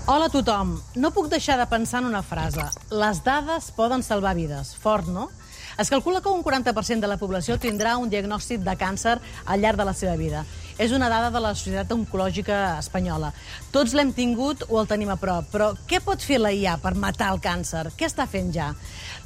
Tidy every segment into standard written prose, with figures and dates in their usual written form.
Hola a tothom. No puc deixar de pensar en una frase. Les dades poden salvar vides. Fort, no? Es calcula que un 40% de la població tindrà un diagnòstic de càncer al llarg de la seva vida. És una dada de la Societat Oncològica Espanyola. Tots l'hem tingut o el tenim a prop, però què pot fer la IA per matar el càncer? Què està fent ja?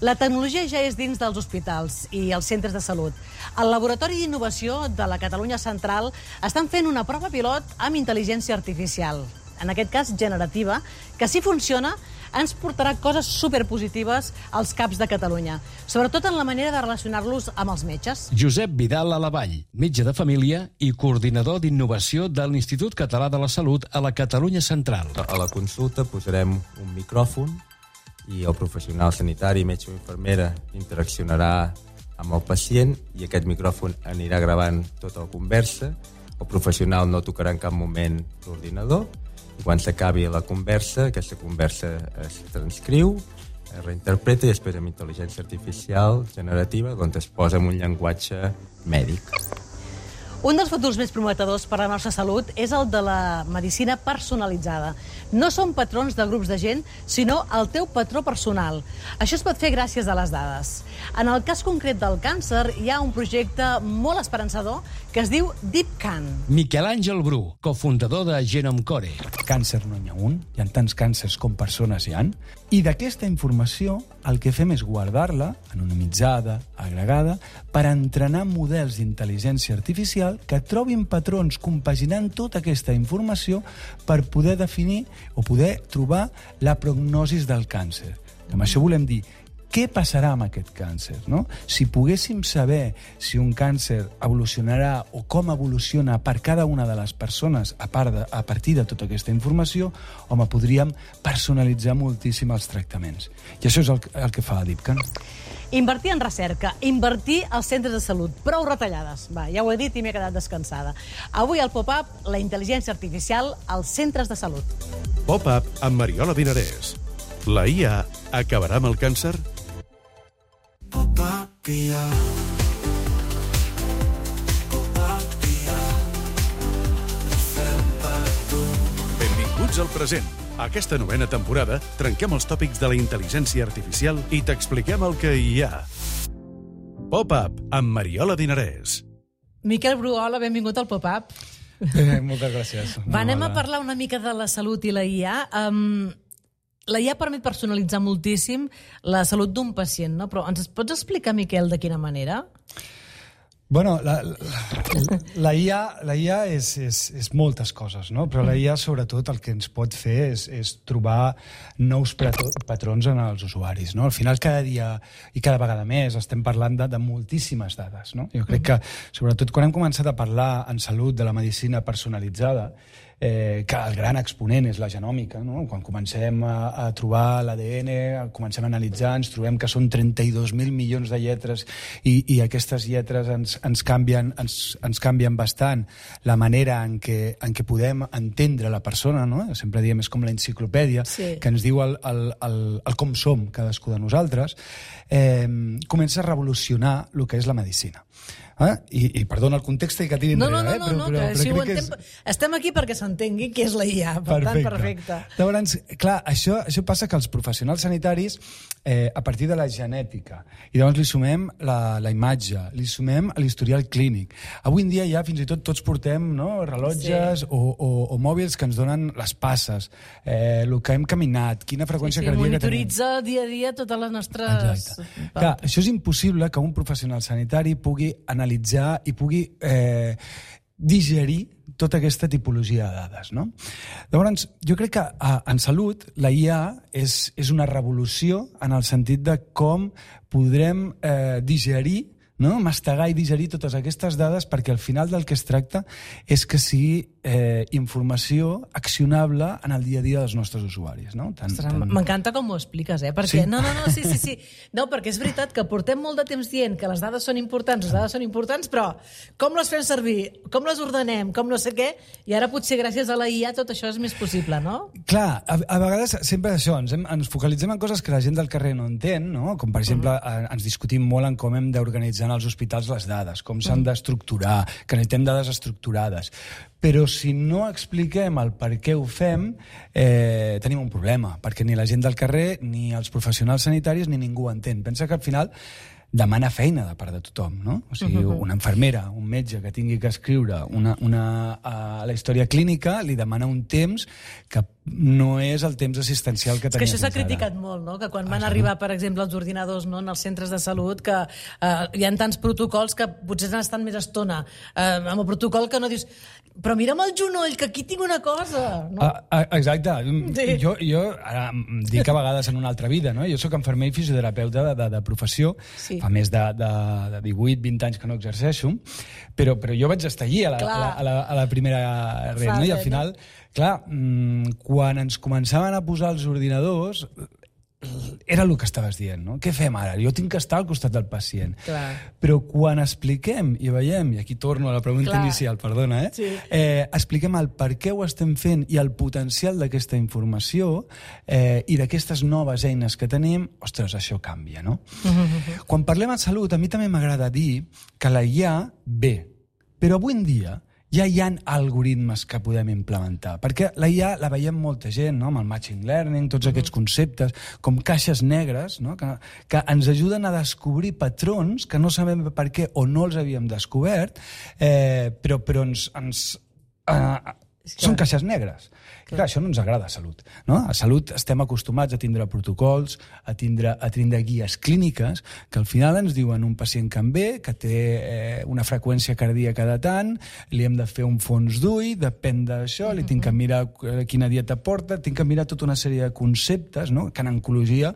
La tecnologia ja és dins dels hospitals i els centres de salut. El Laboratori d'Innovació de la Catalunya Central estan fent una prova pilot amb intel·ligència artificial, en aquest cas generativa, que si funciona ens portarà coses superpositives als CAPs de Catalunya, sobretot en la manera de relacionar-los amb els metges. Josep Vidal Alavall, metge de família i coordinador d'innovació de l'Institut Català de la Salut a la Catalunya Central. A la consulta posarem un micròfon i el professional sanitari, metge o infermera, interaccionarà amb el pacient i aquest micròfon anirà gravant tota la conversa. El professional no tocarà en cap moment l'ordinador. I quan s'acabi la conversa, aquesta conversa es transcriu, es reinterpreta i després amb intel·ligència artificial generativa doncs es posa en un llenguatge mèdic. Un dels futurs més prometedors per a la nostra salut és el de la medicina personalitzada. No són patrons de grups de gent, sinó el teu patró personal. Això es pot fer gràcies a les dades. En el cas concret del càncer, hi ha un projecte molt esperançador que es diu DeepCan. Miquel Àngel Bru, cofundador de Genomcore. Càncer no n'hi ha un, hi ha tants càncers com persones hi ha, i d'aquesta informació el que fem és guardar-la, anonimitzada, agregada, per entrenar models d'intel·ligència artificial que trobin patrons compaginant tota aquesta informació per poder definir o poder trobar la prognosi del càncer. Amb això volem dir què passarà amb aquest càncer, no? Si poguéssim saber si un càncer evolucionarà o com evoluciona per cada una de les persones a partir de tota aquesta informació, home, podríem personalitzar moltíssim els tractaments. I això és el que fa la DeepCan. Invertir en recerca, invertir als centres de salut. Prou retallades. Va, ja ho he dit i m'he quedat descansada. Avui al Pop-Up, la intel·ligència artificial als centres de salut. Pop-Up amb Mariola Dinarès. La IA acabarà amb el càncer? Benvinguts al present. Aquesta novena temporada trenquem els tòpics de la intel·ligència artificial i t'expliquem el que hi ha. Pop-Up amb Mariola Dinarès. Miquel Bru, hola, benvingut al Pop-Up. Moltes gràcies. Anem a parlar una mica de la salut i la IA. La IA permet personalitzar moltíssim la salut d'un pacient, no? Però ens pots explicar, Miquel, de quina manera? Bueno, la IA és moltes coses, no? Però la IA, sobretot, el que ens pot fer és trobar nous patrons en els usuaris, no? Al final, cada dia i cada vegada més estem parlant de moltíssimes dades, no? Jo crec que, sobretot, quan hem començat a parlar en salut de la medicina personalitzada, que el gran exponent és la genòmica, no? Quan comencem a trobar l'ADN, comencem a analitzar, ens trobem que són 32.000 milions de lletres i aquestes lletres ens canvien bastant la manera en què podem entendre la persona, no? Sempre diem, és com l'enciclopèdia, sí, que ens diu el com som cadascú de nosaltres. Comença a revolucionar el que és la medicina. I perdona el context i que tiri enrere. No, que si ho entenc... Estem aquí perquè s'entengui què és la IA, per tant, perfecte. Llavors, clar, això passa que els professionals sanitaris, a partir de la genètica, i llavors li sumem la imatge, li sumem l'historial clínic. Avui en dia ja fins i tot tots portem rellotges o mòbils que ens donen les passes, el que hem caminat, quina freqüència cardíaca tenim. Monitoritza dia a dia totes les nostres... Clar, això és impossible que un professional sanitari pugui analitzar i pugui digerir tota aquesta tipologia de dades, no? Llavors, jo crec que en salut la IA és una revolució en el sentit de com podrem digerir, no? Mastegar i digerir totes aquestes dades, perquè al final del que es tracta és que sigui informació accionable en el dia a dia dels nostres usuaris, no? M'encanta com ho expliques, perquè... Sí? Sí. No, perquè és veritat que portem molt de temps dient que les dades són importants, però com les fem servir, com les ordenem, com no sé què, i ara potser gràcies a la IA tot això és més possible, no? Clar, a vegades sempre això, ens focalitzem en coses que la gent del carrer no entén, no? Com per exemple ens discutim molt en com hem d'organitzar als hospitals les dades, com s'han d'estructurar, que necessitem dades estructurades. Però si no expliquem el per què ho fem, tenim un problema, perquè ni la gent del carrer, ni els professionals sanitaris, ni ningú ho entén. Pensa que al final demana feina de part de tothom, no? O sigui, una infermera, un metge que tingui que escriure la història clínica li demana un temps que no és el temps assistencial que tenia fins ara. És que això s'ha criticat molt, no? Que quan van arribar, per exemple, els ordinadors en els centres de salut, que hi ha tants protocols que potser han estat més estona amb el protocol que no dius però mira'm el genoll, que aquí tinc una cosa. No? Exacte. Sí. Jo ara dic a vegades en una altra vida, no? Jo soc infermer i fisioterapeuta de professió, sí. Fa més de 18-20 anys que no exerceixo, però jo vaig estar allí a la primera red, no? I al final, clar, quan ens començaven a posar els ordinadors, era el que estaves dient, no? Què fem ara? Jo tinc que estar al costat del pacient. Clar. Però quan expliquem i veiem, i aquí torno a la pregunta inicial, perdona, sí. Expliquem el per què ho estem fent i el potencial d'aquesta informació i d'aquestes noves eines que tenim, ostres, això canvia, no? Quan parlem en salut, a mi també m'agrada dir que la IA ve, però avui en dia ja hi ha algoritmes que podem implementar, perquè la IA la veiem molta gent, no? Amb el machine learning, tots aquests conceptes, com caixes negres, no? que ens ajuden a descobrir patrons que no sabem per què o no els havíem descobert, però són caixes negres. Clar, això no ens agrada a Salut. No? A Salut estem acostumats a tindre protocols, a tindre guies clíniques, que al final ens diuen un pacient que en ve, que té una freqüència cardíaca de tant, li hem de fer un fons d'ull, depèn d'això, li tinc que mirar quina dieta porta, tinc que mirar tota una sèrie de conceptes, no? Que en oncologia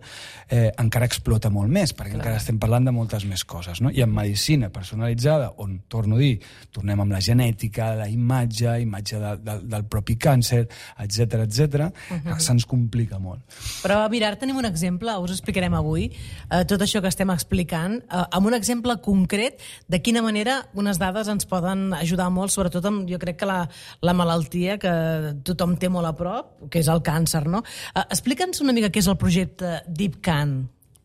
encara explota molt més, perquè encara estem parlant de moltes més coses. No? I en medicina personalitzada, on, torno a dir, tornem amb la genètica, la imatge del propi càncer, etc, se'ns complica molt. Però mira, ara tenim un exemple, us explicarem avui, tot això que estem explicant, amb un exemple concret de quina manera unes dades ens poden ajudar molt, sobretot amb, jo crec que la malaltia que tothom té molt a prop, que és el càncer, no? Explica'ns una mica què és el projecte DeepCan.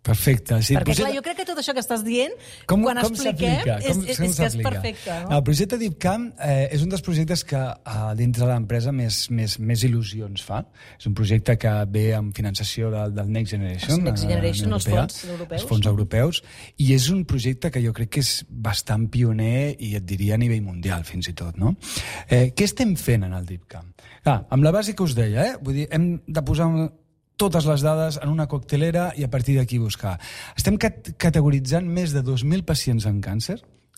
Perfecte. Sí, perquè, clar, jo crec que tot això que estàs dient, quan expliquem, és que és perfecte. No? El projecte DeepCam és un dels projectes que dintre de l'empresa més il·lusions fa. És un projecte que ve amb finançació del Next Generation. Next Generation, els fons europeus. Els fons europeus. I és un projecte que jo crec que és bastant pioner i et diria a nivell mundial, fins i tot. No? Què estem fent en el DeepCam? Amb la base que us deia, vull dir, hem de posar totes les dades en una coctelera i a partir d'aquí buscar. Estem categoritzant més de 2.000 pacients amb càncer,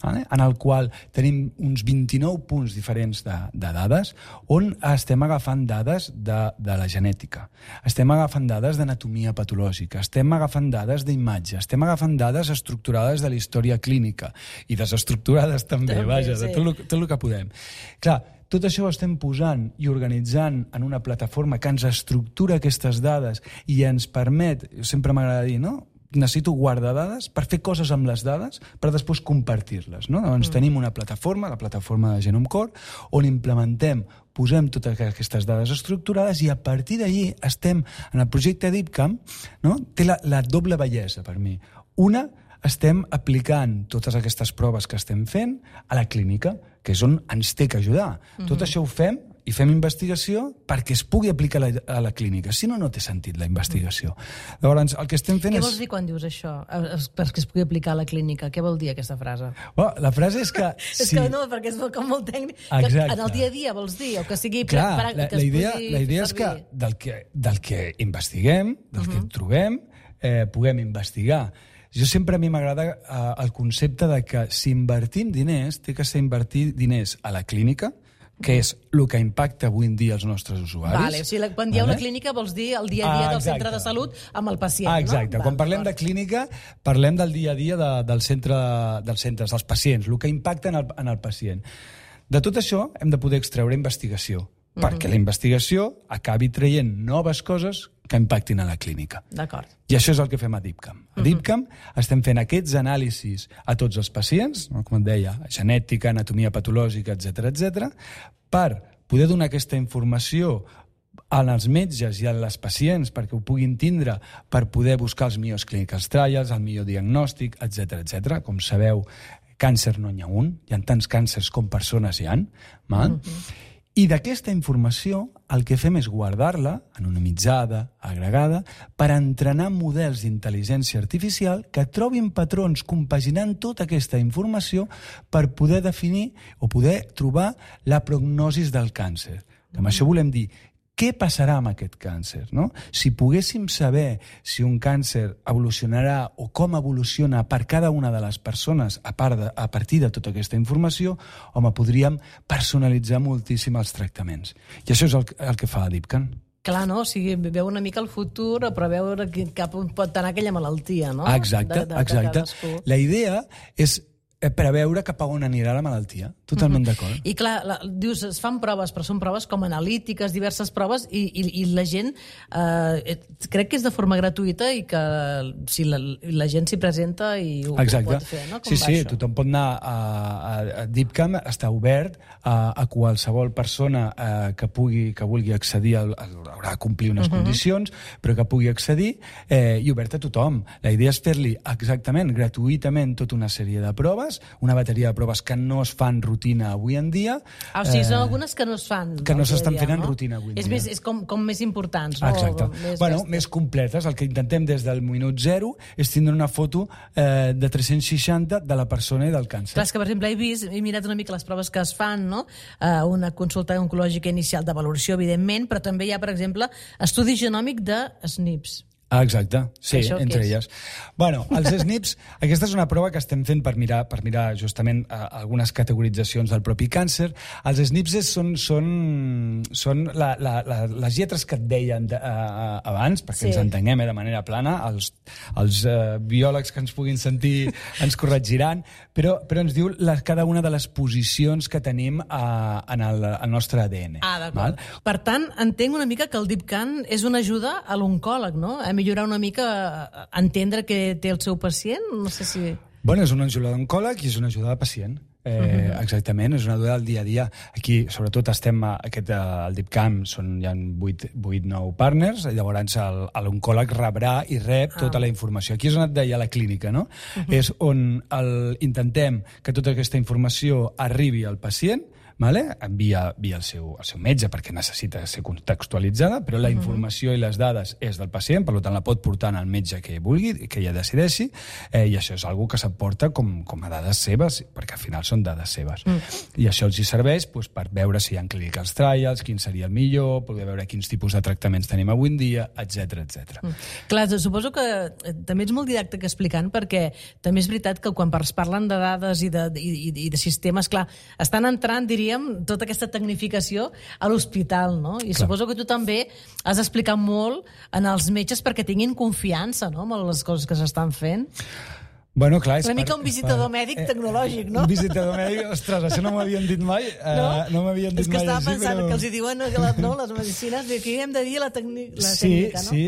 en el qual tenim uns 29 punts diferents de dades, on estem agafant dades de la genètica, estem agafant dades d'anatomia patològica, estem agafant dades d'imatge, estem agafant dades estructurades de la història clínica i desestructurades també, vaja, de tot el que podem. Clar, tot això ho estem posant i organitzant en una plataforma que ens estructura aquestes dades i ens permet, sempre m'agrada dir, no? Necessito guardar dades per fer coses amb les dades per després compartir-les. No? Doncs tenim una plataforma, la plataforma de GenomeCore, on implementem, posem totes aquestes dades estructurades i a partir d'allí estem en el projecte DeepCam, no? Té la doble bellesa per mi. Una, estem aplicant totes aquestes proves que estem fent a la clínica, que és on ens té que ajudar. Tot això ho fem i fem investigació perquè es pugui aplicar a la clínica. Si no, no té sentit la investigació. Llavors, el que estem fent Què vols dir quan dius això? Perquè es pugui aplicar a la clínica. Què vol dir aquesta frase? La frase és que... És que no, perquè és com molt tècnic. En el dia a dia, vols dir? O que sigui... Clar, la idea és que del que investiguem, del que trobem, puguem investigar. Jo sempre a mi m'agrada el concepte de que si invertim diners, té que ser invertir diners a la clínica, que és el que impacta avui en dia els nostres usuaris. Vale, o sigui, quan dieu la clínica vols dir el dia a dia del centre de salut amb el pacient, no? Exacte. Quan parlem de clínica, parlem del dia a dia dels centres, dels pacients, el que impacta en el pacient. De tot això hem de poder extreure investigació, perquè la investigació acabi traient noves coses que impactin a la clínica. D'acord. I això és el que fem a DeepCam. A DeepCam estem fent aquests anàlisis a tots els pacients, com et deia, genètica, anatomia patològica, etc, per poder donar aquesta informació als metges i a les pacients perquè ho puguin tindre per poder buscar els millors clinical trials, el millor diagnòstic, etc. Com sabeu, càncer no n'hi ha un, hi ha tants càncers com persones hi ha. I d'aquesta informació el que fem és guardar-la, anonimitzada, agregada, per entrenar models d'intel·ligència artificial que trobin patrons compaginant tota aquesta informació per poder definir o poder trobar la prognosi del càncer. Amb això volem dir què passarà amb aquest càncer, no? Si poguéssim saber si un càncer evolucionarà o com evoluciona per cada una de les persones a partir de tota aquesta informació, home, podríem personalitzar moltíssim els tractaments. I això és el que fa DeepCan. Clar, no? O sigui, veu una mica el futur a preveure cap on pot anar aquella malaltia, no? Exacte. La idea és preveure cap a on anirà la malaltia. Totalment d'acord. I clar, dius, es fan proves, però són proves com analítiques, diverses proves, i la gent crec que és de forma gratuïta i que si la gent s'hi presenta i ho pot fer, no? Sí, tothom pot anar a DeepCam, està obert a qualsevol persona que vulgui accedir, haurà de complir unes condicions, però que pugui accedir, i obert a tothom. La idea és fer-li exactament, gratuïtament, tota una sèrie de proves, una bateria de proves que no es fan rutina avui en dia. O sigui, són algunes que no es fan. Que no s'estan fent en rutina avui en dia. És com més importants, no? Exacte. Més completes. El que intentem des del minut zero és tindre una foto de 360 de la persona i del càncer. Clar, és que, per exemple, he mirat una mica les proves que es fan, no? Una consulta oncològica inicial de valoració, evidentment, però també hi ha, per exemple, estudi genòmic de SNPs. Exacte, sí, entre elles. Bueno, els SNPs, aquesta és una prova que estem fent per mirar justament algunes categoritzacions del propi càncer. Els SNPs són les lletres que et deien abans, perquè ens entenguem de manera plana, els biòlegs que ens puguin sentir ens corregiran, però ens diu cada una de les posicions que tenim en el nostre ADN. D'acord. Per tant, entenc una mica que el DeepCan és una ajuda a l'oncòleg, no? A millorar una mica, entendre què té el seu pacient? No sé si... Bueno, és una ajuda d'oncòleg i és una ajuda de pacient. Exactament, és una ajuda del dia a dia. Aquí, sobretot, estem al DeepCam, hi ha 8-9 partners, llavors l'oncòleg rebrà i rep tota la informació. Aquí és on et deia la clínica, no? És on intentem que tota aquesta informació arribi al pacient, via el seu metge, perquè necessita ser contextualitzada, però la informació i les dades és del pacient, per tant la pot portar al metge que vulgui, que ella decideixi, i això és una que s'aporta com a dades seves, perquè al final són dades seves. I això els hi serveix per veure si hi ha clinical trials, quin seria el millor, poder veure quins tipus de tractaments tenim avui en dia, etc. Clar, suposo que també ets molt didàctic explicant, perquè també és veritat que quan parlen de dades i de sistemes, clar, estan entrant, diríem, tota aquesta tecnificació a l'hospital, no? I suposo que tu també has explicat molt en els metges perquè tinguin confiança, no?, en les coses que s'estan fent. Bueno, clar, una mica un visitador mèdic tecnològic, no? Un visitador mèdic, ostres, això no m'havien dit mai. No m'havien dit mai. És que estava pensant que els hi diuen les medicines, que hem de dir la tècnica, no? Sí.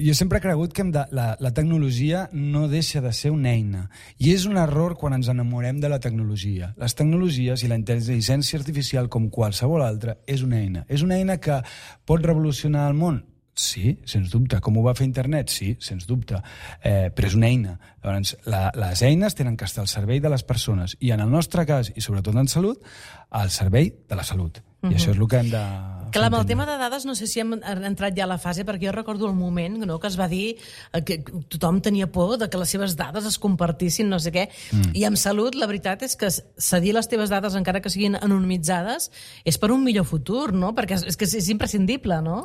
Jo sempre he cregut que la tecnologia no deixa de ser una eina. I és un error quan ens enamorem de la tecnologia. Les tecnologies i la intel·ligència artificial, com qualsevol altra, és una eina. És una eina que pot revolucionar el món? Sí, sens dubte. Com ho va fer internet? Sí, sens dubte. Però és una eina. Llavors, les eines tenen que estar al servei de les persones i en el nostre cas, i sobretot en salut, al servei de la salut. I això és el que hem de... Clar, amb el tema de dades no sé si hem entrat ja a la fase, perquè jo recordo el moment que es va dir que tothom tenia por de que les seves dades es compartissin, no sé què, i amb salut la veritat és que cedir les teves dades, encara que siguin anonimitzades, és per un millor futur, no? Perquè és que és imprescindible, no?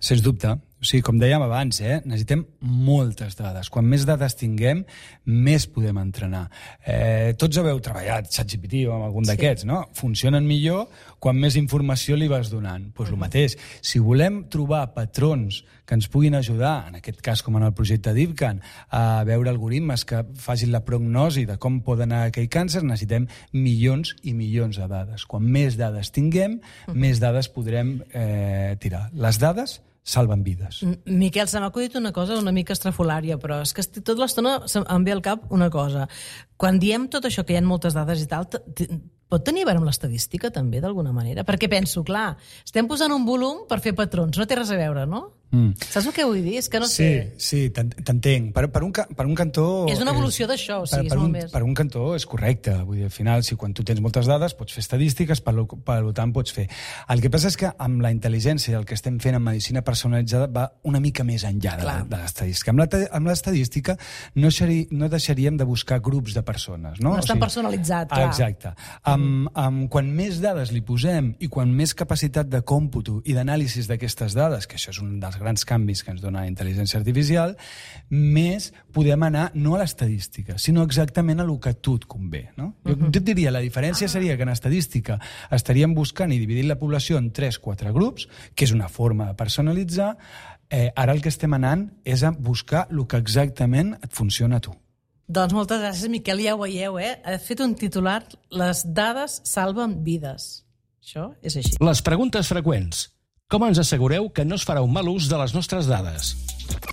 Sens dubte. O sigui, com dèiem abans, necessitem moltes dades. Quan més dades tinguem, més podem entrenar. Tots haveu treballat ChatGPT o amb algun d'aquests, no? Funcionen millor quan més informació li vas donant. Doncs el mateix. Si volem trobar patrons que ens puguin ajudar, en aquest cas com en el projecte DeepCan, a veure algoritmes que facin la prognosi de com pot anar aquell càncer, necessitem milions i milions de dades. Quan més dades tinguem, més dades podrem tirar. Les dades salven vides. Miquel, se m'ha acudit una cosa una mica estrafolària, però és que tota l'estona em ve al cap una cosa. Quan diem tot això, que hi ha moltes dades i tal, pot tenir a veure amb l'estadística també, d'alguna manera? Perquè penso, clar, estem posant un volum per fer patrons, no té res a veure, no? Saps el que vull dir? És que no sé. Sí, t'entenc. Per un cantó... És una evolució d'això, o sigui, és molt més. Per un cantó és correcte. Vull dir, al final, si quan tu tens moltes dades, pots fer estadístiques, per tant pots fer. El que passa és que amb la intel·ligència i el que estem fent en medicina personalitzada va una mica més enllà de l'estadística. Amb l'estadística no deixaríem de buscar grups de persones, no? No és tan personalitzat, clar. Exacte. Quan més dades li posem i quan més capacitat de còmputo i d'anàlisis d'aquestes dades, que això és un dels grans canvis que ens dona la intel·ligència artificial, més podem anar no a l'estadística, sinó exactament a lo que a tu et convé, no? Jo et diria, la diferència seria que en estadística estaríem buscant i dividint la població en 3-4 grups, que és una forma de personalitzar. Ara el que estem anant és a buscar el que exactament et funciona a tu. Doncs moltes gràcies, Miquel, ja ho veieu, He fet un titular, les dades salven vides. Això és així. Les preguntes freqüents. Com ens assegureu que no es farà un mal ús de les nostres dades?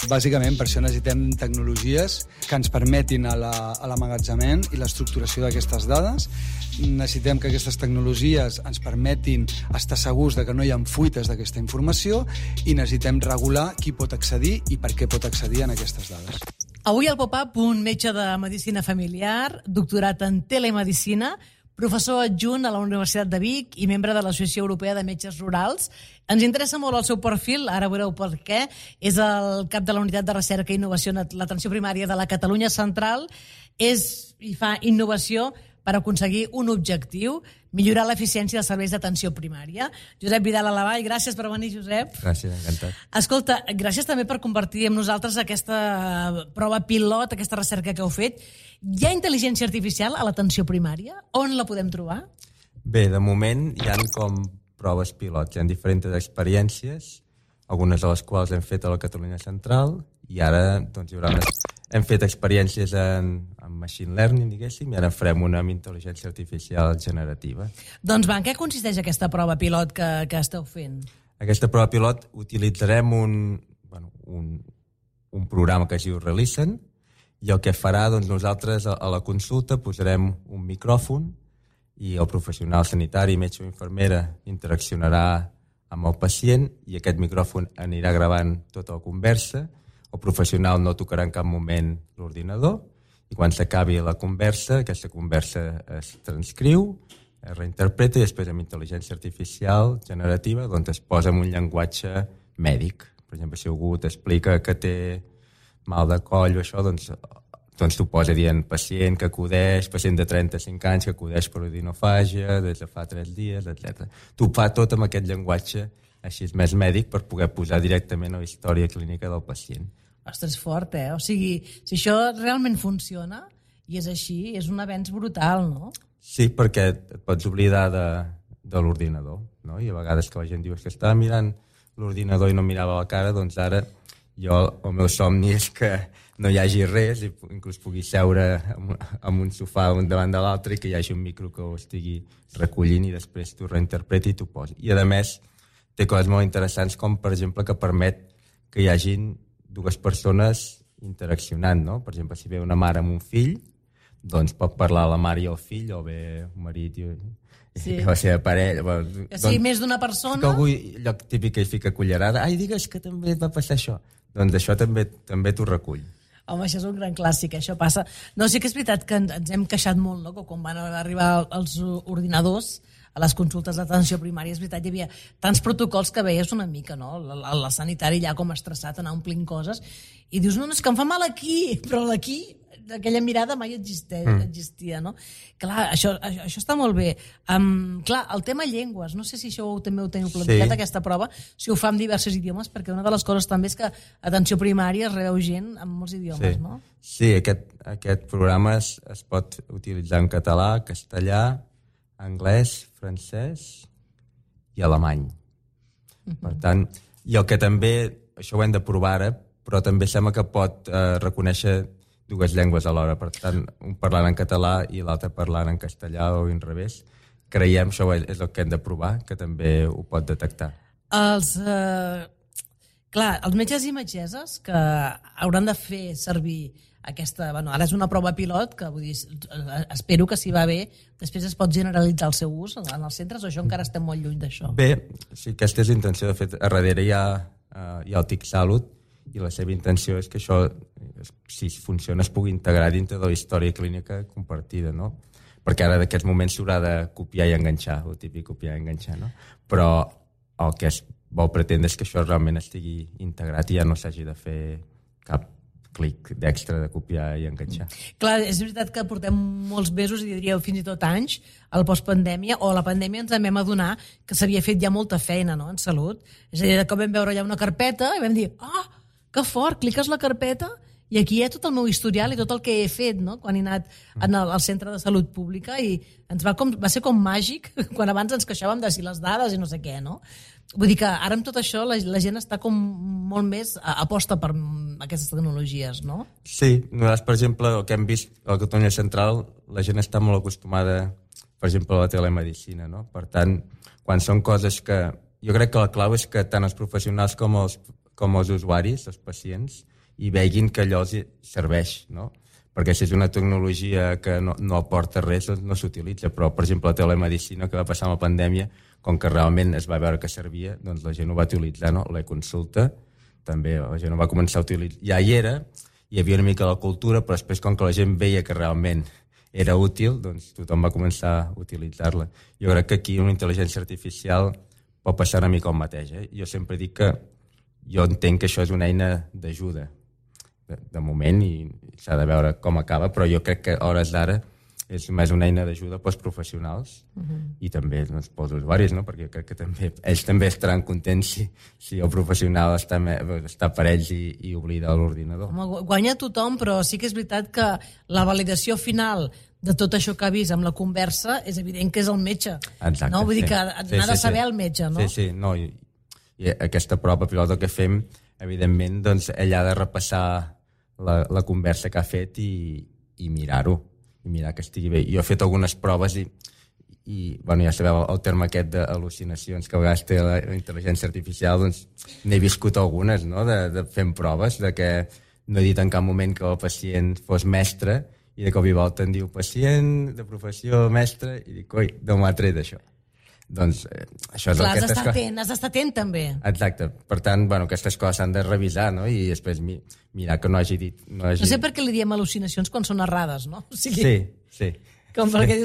Bàsicament, per això necessitem tecnologies que ens permetin l'emmagatzemament i l'estructuració d'aquestes dades. Necessitem que aquestes tecnologies ens permetin estar segurs de que no hi ha fuites d'aquesta informació i necessitem regular qui pot accedir i per què pot accedir en aquestes dades. Avui al Pop-Up, un metge de medicina familiar, doctorat en telemedicina, professor adjunt a la Universitat de Vic i membre de l'Associació Europea de Metges Rurals. Ens interessa molt el seu perfil, ara veureu per què. És el cap de la Unitat de Recerca i Innovació en l'Atenció Primària de la Catalunya Central. I fa innovació per aconseguir un objectiu, millorar l'eficiència dels serveis d'atenció primària. Josep Vidal Alavall, gràcies per venir, Josep. Gràcies, encantat. Escolta, gràcies també per compartir amb nosaltres aquesta prova pilot, aquesta recerca que heu fet. Hi ha intel·ligència artificial a l'atenció primària? On la podem trobar? Bé, de moment hi ha com proves pilot. Hi ha diferents experiències, algunes de les quals hem fet a la Catalunya Central, i ara doncs, hi haurà més... Hem fet experiències en machine learning, diguéssim, i ara farem una amb intel·ligència artificial generativa. Doncs va, en què consisteix aquesta prova pilot que esteu fent? Aquesta prova pilot utilitzarem un programa que es diu Relisten, i el que farà, doncs, nosaltres a la consulta posarem un micròfon i el professional sanitari, metge o infermera, interaccionarà amb el pacient i aquest micròfon anirà gravant tota la conversa. El professional no tocarà en cap moment l'ordinador i quan s'acabi la conversa, aquesta conversa es transcriu, es reinterpreta i després amb intel·ligència artificial generativa doncs es posa en un llenguatge mèdic. Per exemple, si algú t'explica que té mal de coll o això, doncs t'ho posa dient pacient que acudeix, pacient de 35 anys que acudeix per odinofàgia des de fa 3 dies, etc. T'ho fa tot amb aquest llenguatge així és més mèdic per poder posar directament a la història clínica del pacient. Ostres, fort, O sigui, si això realment funciona i és així, és un avenç brutal, no? Sí, perquè et pots oblidar de l'ordinador, no? I a vegades que la gent diu que estava mirant l'ordinador i no mirava la cara, doncs ara el meu somni és que no hi hagi res i inclús pugui seure en un sofà un davant de l'altre i que hi hagi un micro que ho estigui recollint i després t'ho reinterpreti i t'ho posi. I a més té coses molt interessants com per exemple que permet que hi hagin dues persones interaccionant, no? Per exemple, si ve una mare amb un fill, doncs pot parlar la mare i el fill, o ve un marit i la seva parella. Que sigui més d'una persona... Que algú, allò típic que hi fica cullerada, ai, digues que també et va passar això. Doncs això també t'ho recull. Home, això és un gran clàssic, això passa... No, sí que és veritat que ens hem queixat molt, no?, que quan van arribar els ordinadors a les consultes d'atenció primària, és veritat, hi havia tants protocols que veies una mica, no? La sanitari ja com estressat, anar omplint coses, i dius, no, és que em fa mal aquí, però aquí, aquella mirada mai existia, no? Clar, això està molt bé. Clar, el tema llengües, no sé si això també ho teniu planificat, aquesta prova, si ho fa en diversos idiomes, perquè una de les coses també és que atenció primària es rebeu gent en molts idiomes, no? Sí, aquest programa es pot utilitzar en català, castellà, anglès, francès i alemany. Per tant, i el que també, això ho hem de provar ara, però també sembla que pot reconèixer dues llengües alhora, per tant, un parlant en català i l'altre parlant en castellà o en revés. Creiem, això és el que hem de provar, que també ho pot detectar. Clar, els metges i metgesses que hauran de fer servir aquesta... Bueno, ara és una prova pilot que vull dir, espero que si va bé després es pot generalitzar el seu ús en els centres o això encara estem molt lluny d'això? Bé, sí, aquesta és la intenció. De fet, a darrere hi ha el TIC Salut i la seva intenció és que això, si funciona, es pugui integrar dintre de la història clínica compartida, no? Perquè ara d'aquests moments s'haurà de copiar i enganxar, el típic copiar i enganxar, no? Però el que es vol pretendre és que això realment estigui integrat i ja no s'hagi de fer cap clic d'extra de copiar i enganxar. Clar, és veritat que portem molts mesos, i diríeu fins i tot anys, al postpandèmia, o a la pandèmia ens vam adonar que s'havia fet ja molta feina, no?, en salut. És a dir, que vam veure allà una carpeta i vam dir, que fort, cliques la carpeta i aquí hi ha tot el meu historial i tot el que he fet, no?, quan he anat al centre de salut pública i va ser com màgic quan abans ens queixàvem de si les dades i no sé què, no? Vull dir que ara amb tot això la gent està com molt més aposta per aquestes tecnologies, no? Sí, nosaltres, per exemple, el que hem vist a la Catalunya Central, la gent està molt acostumada, per exemple, a la telemedicina, no? Per tant, quan són coses que... Jo crec que la clau és que tant els professionals com els usuaris, els pacients, i veguin que allò els serveix, no? Perquè si és una tecnologia que no aporta res, doncs no s'utilitza. Però, per exemple, la telemedicina que va passar amb la pandèmia, com que realment es va veure que servia, doncs la gent ho va utilitzar, no? La consulta, també la gent ho va començar a utilitzar. Ja hi era, hi havia una mica la cultura, però després, com que la gent veia que realment era útil, doncs tothom va començar a utilitzar-la. Jo crec que aquí una intel·ligència artificial pot passar una mica el mateix. Jo sempre dic que jo entenc que això és una eina d'ajuda, de moment, i s'ha de veure com acaba, però jo crec que a hores d'ara és més una eina d'ajuda pels professionals i també doncs, pels usuaris, no? Perquè crec que ells també estaran contents si el professional està per ells i oblida l'ordinador. Guanya tothom, però sí que és veritat que la validació final de tot això que ha vist amb la conversa és evident que és el metge. Exacte, no? Vull dir que n'ha de saber el metge, no? Sí, no, i aquesta prova pilota que fem, evidentment, doncs ell ha de repassar la conversa que ha fet i mirar-ho, i mirar que estigui bé. Jo he fet algunes proves i bueno, ja sabeu el terme aquest d'al·lucinacions que a vegades té la intel·ligència artificial, doncs n'he viscut algunes, no?, de fent proves, de que no he dit en cap moment que el pacient fos mestre i de cop i volta em diu pacient de professió mestre i dic, oi, d'on m'ha tret això? Doncs això és clar, has d'estar atent també. Exacte, per tant, bueno, aquestes coses s'han de revisar, no?, i després mirar que no hagi dit... No sé per què li diem al·lucinacions quan són errades, no? O sigui, sí. Com perquè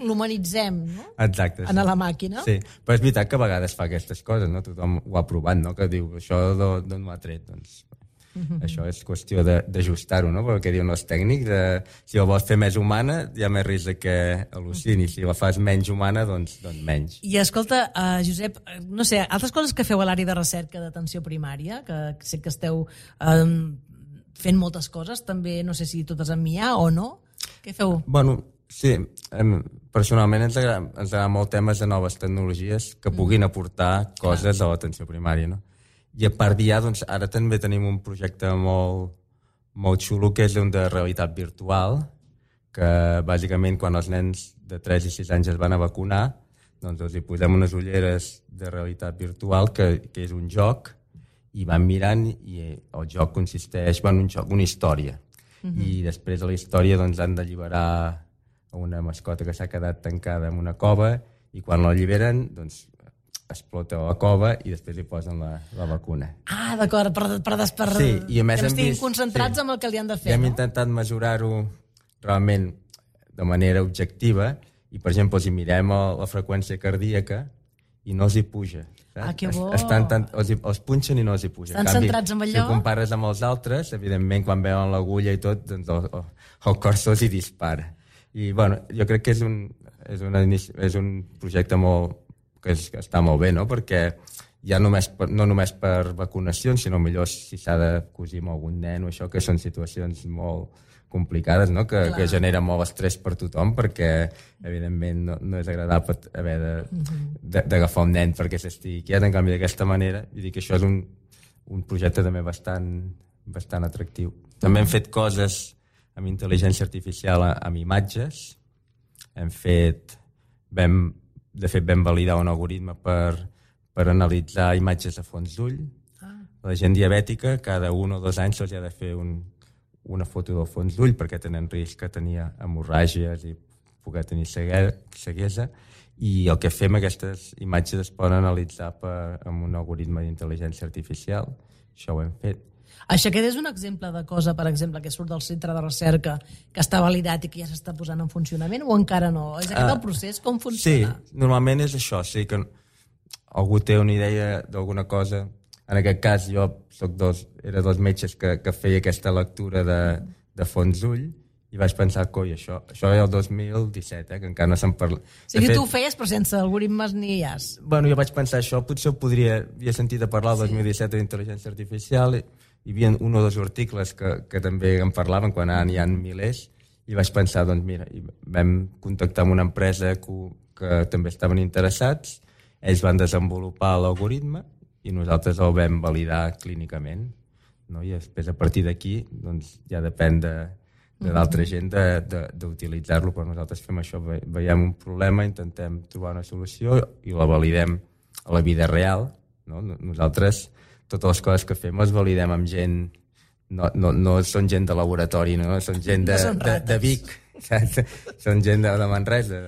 l'humanitzem, no? Exacte. En la màquina. Sí, però és veritat que a vegades fa aquestes coses, no? Tothom ho ha provat, no?, que diu, això d'on m'ha tret, doncs... Això és qüestió d'ajustar-ho, no? Perquè diuen els tècnics, si la vols fer més humana, hi ha més risc que al·lucini. Si la fas menys humana, doncs menys. I escolta, Josep, no sé, altres coses que feu a l'àrea de recerca d'atenció primària, que sé que esteu fent moltes coses, també no sé si totes amb IA o no, què feu? Bueno, sí, personalment ens agrada molt temes de noves tecnologies que puguin aportar coses a l'atenció primària, no? I a part d'IA, doncs, ara també tenim un projecte molt xulo que és un de realitat virtual, que bàsicament quan els nens de 3 i 6 anys es van a vacunar, doncs els hi posem unes ulleres de realitat virtual que és un joc i van mirant i el joc consisteix en una història. I després de la història doncs, han d'alliberar una mascota que s'ha quedat tancada en una cova i quan l'alliberen doncs, explota la cova i després li posen la vacuna. Ah, d'acord, per sí, i a més que estiguin concentrats amb el que li han de fer. I hem intentat mesurar-ho realment de manera objectiva i, per exemple, els hi mirem la freqüència cardíaca i no els hi puja. Ah, que bo! Els punxen i no els hi puja. Estan centrats en allò? Si ho compares amb els altres, evidentment, quan veuen l'agulla i tot, doncs el cor se'ls hi dispara. I, bueno, jo crec que és un projecte que està molt bé, no?, perquè ja no només per vacunacions, sinó millor si s'ha de cosir amb algun nen o això, que són situacions molt complicades, no?, que generen molt estrès per tothom, perquè evidentment no és agradable haver d'agafar un nen perquè s'estigui quiet, en canvi d'aquesta manera, i dic que això és un projecte també bastant atractiu. També hem fet coses amb intel·ligència artificial amb imatges, de fet vam validar un algoritme per analitzar imatges de fons d'ull, la gent diabètica cada 1 o 2 anys se'ls ha de fer una foto del fons d'ull perquè tenen risc que tenia hemorràgies i poder tenir ceguesa, i el que fem, aquestes imatges es poden analitzar amb un algoritme d'intel·ligència artificial. Això ho hem fet. Això aquest és un exemple de cosa, per exemple, que surt del centre de recerca, que està validat i que ja s'està posant en funcionament, o encara no? És aquest el procés? Com funciona? Sí, normalment és això. Sí, que algú té una idea d'alguna cosa. En aquest cas, jo era 2 metges que feia aquesta lectura de fons d'ull, i vaig pensar, coi, això era el 2017, que encara no se'n parla. O sigui, tu ho feies, però sense algoritmes ni IAs. Bueno, jo vaig pensar, això potser havia sentit a parlar el 2017 d'intel·ligència artificial, hi havia 1 o 2 articles que també en parlaven, quan ara n'hi ha milers, i vaig pensar, doncs mira, vam contactar amb una empresa que també estaven interessats, ells van desenvolupar l'algoritme i nosaltres el vam validar clínicament, no? I després, a partir d'aquí, doncs, ja depèn de d'altra gent d'utilitzar-lo, però nosaltres fem això, veiem un problema, intentem trobar una solució i la validem a la vida real, no? Nosaltres totes les coses que fem les validem amb gent, no són gent de laboratori, no? Són gent de Vic, són gent de Manresa,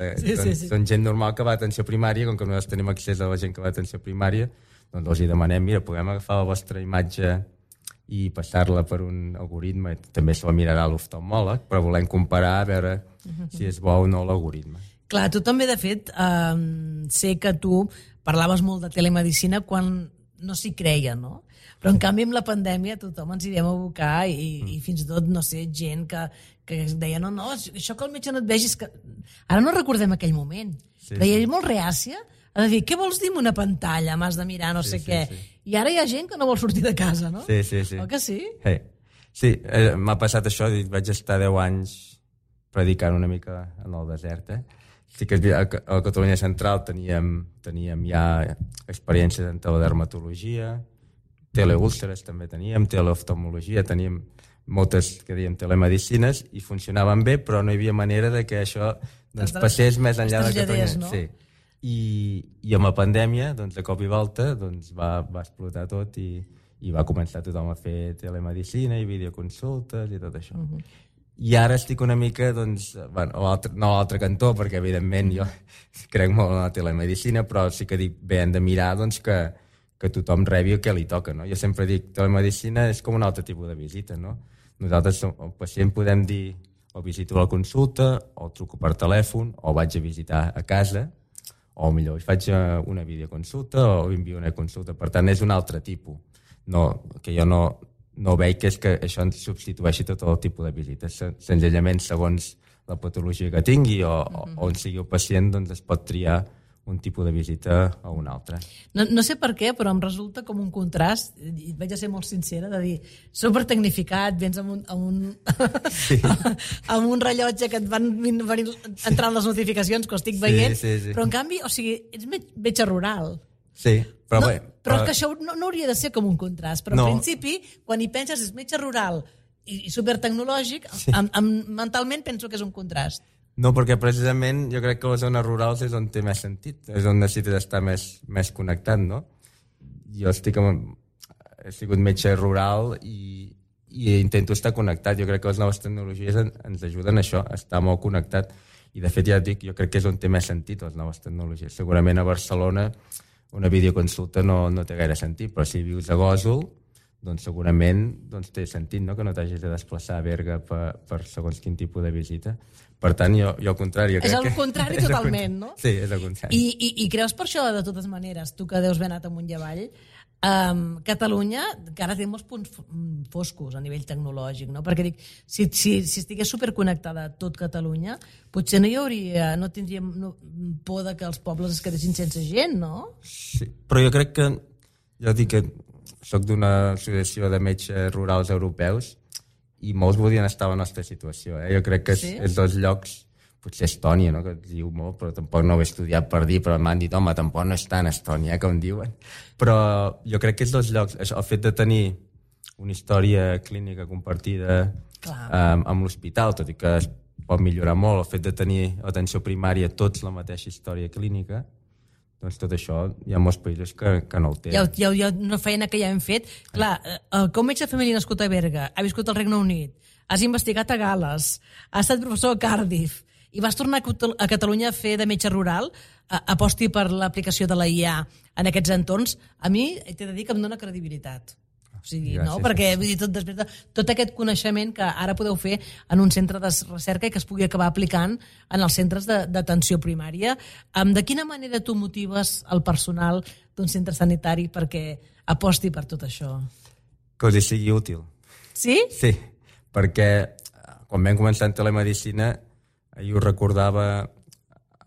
són gent normal que va a atenció primària. Com que nosaltres tenim accés a la gent que va a atenció primària, doncs els demanem, mira, podem agafar la vostra imatge i passar-la per un algoritme, també se la mirarà l'oftalmòleg, però volem comparar a veure si és bo o no l'algoritme. Clar, tu també, de fet, sé que tu parlaves molt de telemedicina quan no s'hi creia, no? Però, en canvi, amb la pandèmia tothom ens hi vam abocar i fins i tot, no sé, gent que deia, no, això que el metge no et vegi és que... Ara no recordem aquell moment. Però hi ha molt reàcia a dir, què vols dir amb una pantalla? M'has de mirar no sé què. I ara hi ha gent que no vol sortir de casa, no? Sí. Oi que sí? Sí, m'ha passat això, vaig estar 10 anys predicant una mica en el desert, Sí que a Catalunya Central teníem ja experiències en teledermatologia, teleúlceres també teníem, teleoftalmologia, teníem moltes, que dèiem, telemedicines, i funcionaven bé, però no hi havia manera de que això passés més enllà de Catalunya. No? Sí. I amb la pandèmia, doncs, de cop i volta, doncs, va explotar tot i va començar tothom a fer telemedicina i videoconsultes i tot això. I ara estic una mica, doncs, bueno, no a l'altre cantó, perquè evidentment jo crec molt en la telemedicina, però sí que dic, bé, hem de mirar doncs, que tothom rebi el que li toca, no? Jo sempre dic, telemedicina és com un altre tipus de visita, no? Nosaltres, el pacient, podem dir, o visito a la consulta, o truco per telèfon, o vaig a visitar a casa, o millor, faig una videoconsulta o envio una consulta. Per tant, és un altre tipus. Que jo no veig que és que això ens substitueixi tot el tipus de visites. Senzillament, segons la patologia que tingui o on sigui el pacient, doncs es pot triar un tipus de visita o un altre. No sé per què, però em resulta com un contrast, i vaig a ser molt sincera, de dir, supertecnificat, vens amb un rellotge que et van entrant les notificacions que ho estic veient, però en canvi, o sigui, ets metge rural. Sí, però bé... Però és que això no hauria de ser com un contrast, però en principi, quan hi penses és metge rural i supertecnològic, mentalment penso que és un contrast. No, perquè precisament jo crec que les zones rurals és on té més sentit, és on necessites estar més connectat, no? Jo he sigut metge rural i intento estar connectat. Jo crec que les noves tecnologies ens ajuden a això, a estar molt connectat. I de fet, ja et dic, jo crec que és on té més sentit les noves tecnologies. Segurament a Barcelona una videoconsulta no té gaire sentit, però si vius a Gósol, doncs segurament té sentit, no?, que no t'hagis de desplaçar a Berga per segons quin tipus de visita. Per tant, jo al contrari... És el contrari totalment, no? Sí, és el contrari. I creus per això, de totes maneres, tu que deus haver anat amunt i avall, Catalunya, que ara té molts punts foscos a nivell tecnològic, no? Perquè dic, si estigués superconnectada tot Catalunya, potser no tindríem por de que els pobles es quedessin sense gent, no? Sí, però jo crec que... Jo dic que soc d'una associació de metges rurals europeus i molts volien estar a la nostra situació. Jo crec que és dels llocs, potser Estònia, no?, que et diu molt, però tampoc no ho he estudiat per dir, però m'han dit, home, tampoc no està en Estònia, com diuen. Però jo crec que és dels llocs, el fet de tenir una història clínica compartida amb l'hospital, tot i que es pot millorar molt, el fet de tenir atenció primària tots la mateixa història clínica, doncs tot això hi ha molts països que no ho tenen. Hi ha una feina que ja hem fet. Clar, com metge de família nascut a Berga, ha viscut al Regne Unit, has investigat a Gal·les, has estat professor a Cardiff i vas tornar a Catalunya a fer de metge rural, aposti per l'aplicació de la IA en aquests entorns, a mi t'he de dir que em dona credibilitat. O sigui, gràcies, no? Perquè vull dir, després de tot aquest coneixement que ara podeu fer en un centre de recerca i que es pugui acabar aplicant en els centres d'atenció primària. De quina manera tu motives el personal d'un centre sanitari perquè aposti per tot això? Que us sigui útil. Sí? Sí, perquè quan vam començar en telemedicina, ahir ho recordava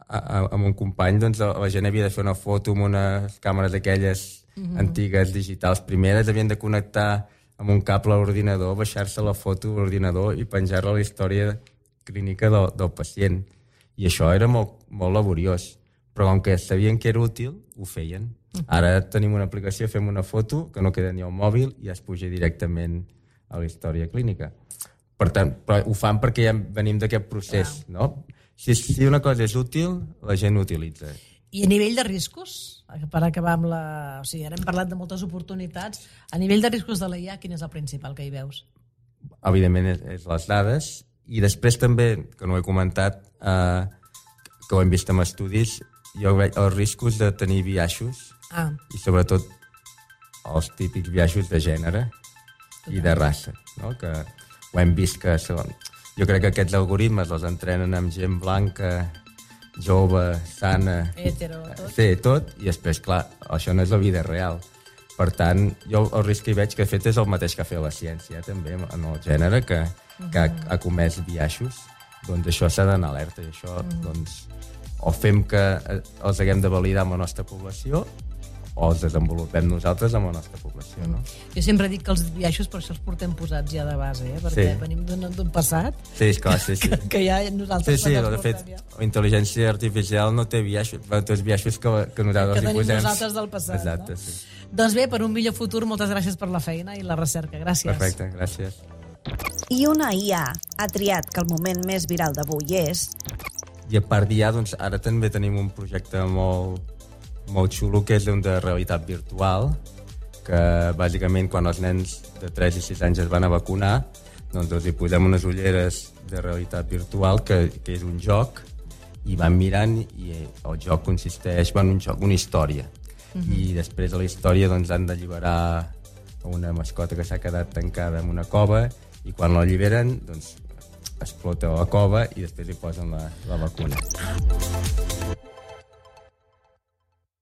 amb un company, doncs la gent havia de fer una foto amb unes càmeres d'aquelles antigues digitals primeres, havien de connectar amb un cable a l'ordinador, baixar-se la foto a l'ordinador i penjar-la a la història clínica del pacient. I això era molt, molt laboriós. Però com que sabien que era útil, ho feien. Ara tenim una aplicació, fem una foto que no queda ni al mòbil i es puja directament a la història clínica. Per tant, però ho fan perquè ja venim d'aquest procés, no? Si una cosa és útil, la gent l'utilitza. I a nivell de riscos, per acabar amb la... O sigui, ara hem parlat de moltes oportunitats. A nivell de riscos de la IA, quin és el principal que hi veus? Evidentment és les dades. I després també, que no ho he comentat, que ho hem vist en estudis, jo veig els riscos de tenir biaixos i sobretot els típics biaixos de gènere i de raça, no? Que ho hem vist que són... Jo crec que aquests algoritmes els entrenen amb gent blanca, jove, sana... Hetero, tot. Sí, tot, i després, clar, això no és la vida real. Per tant, jo el risc que hi veig que de fet és el mateix que ha fet la ciència, també, en el gènere, que ha comès biaixos. Doncs això s'ha d'anar alerta, i això, doncs, o fem que els haguem de validar amb la nostra població, o els desenvolupem nosaltres amb la nostra població, no? Jo sempre dic que els biaixos per això els portem posats ja de base, perquè venim d'un passat que ja nosaltres de fet, la intel·ligència artificial no té biaixos, té els biaixos que nosaltres hi posem. Que tenim nosaltres del passat. Exacte, no? sí. Doncs bé, per un millor futur, moltes gràcies per la feina i la recerca. Gràcies. Perfecte, gràcies. I una IA ha triat que el moment més viral d'avui és... I a part d'IA, doncs, ara també tenim un projecte molt xulo, que és un de realitat virtual, que bàsicament quan els nens de 3 i 6 anys es van a vacunar, doncs els hi posem unes ulleres de realitat virtual, que és un joc, i van mirant, i el joc consisteix en una història. I després de la història doncs, han d'alliberar una mascota que s'ha quedat tancada en una cova, i quan l'alliberen, doncs, explota la cova i després li posen la vacuna.